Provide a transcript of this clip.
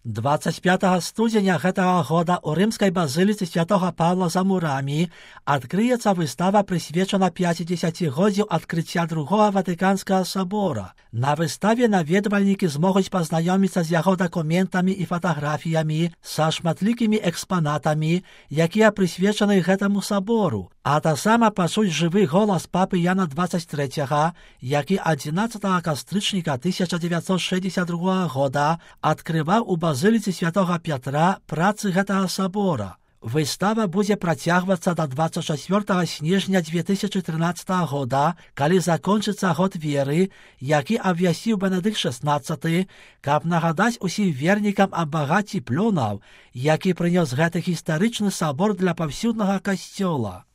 25 студзеня гэтага года ў рымскай базыліцы святога Павла за мурамі адкрыецца выстава, прысвечана 50-годдзю адкрыцця другога Ватыканскага сабора. На выставе наведвальнікі змогуць пазнаёміцца з яго дакументамі і фатаграфіямі, са шматлікімі экспанатамі, якія прысвечаны гэтаму сабору, а таксама пачуць жывы голас папы Яна 23, які 11 кастрычніка 1962 года адкрываў у базыліцы святога Пятра працы гэтага сабора. Выстава будзе працягвацца да 24 снежня 2013 года, калі закончыцца год веры, які абвясціў Бенедыкт XVI, каб нагадаць усім вернікам аб багацці плёнаў, які прынёс гэты гістарычны сабор для паўсюднага касцёла.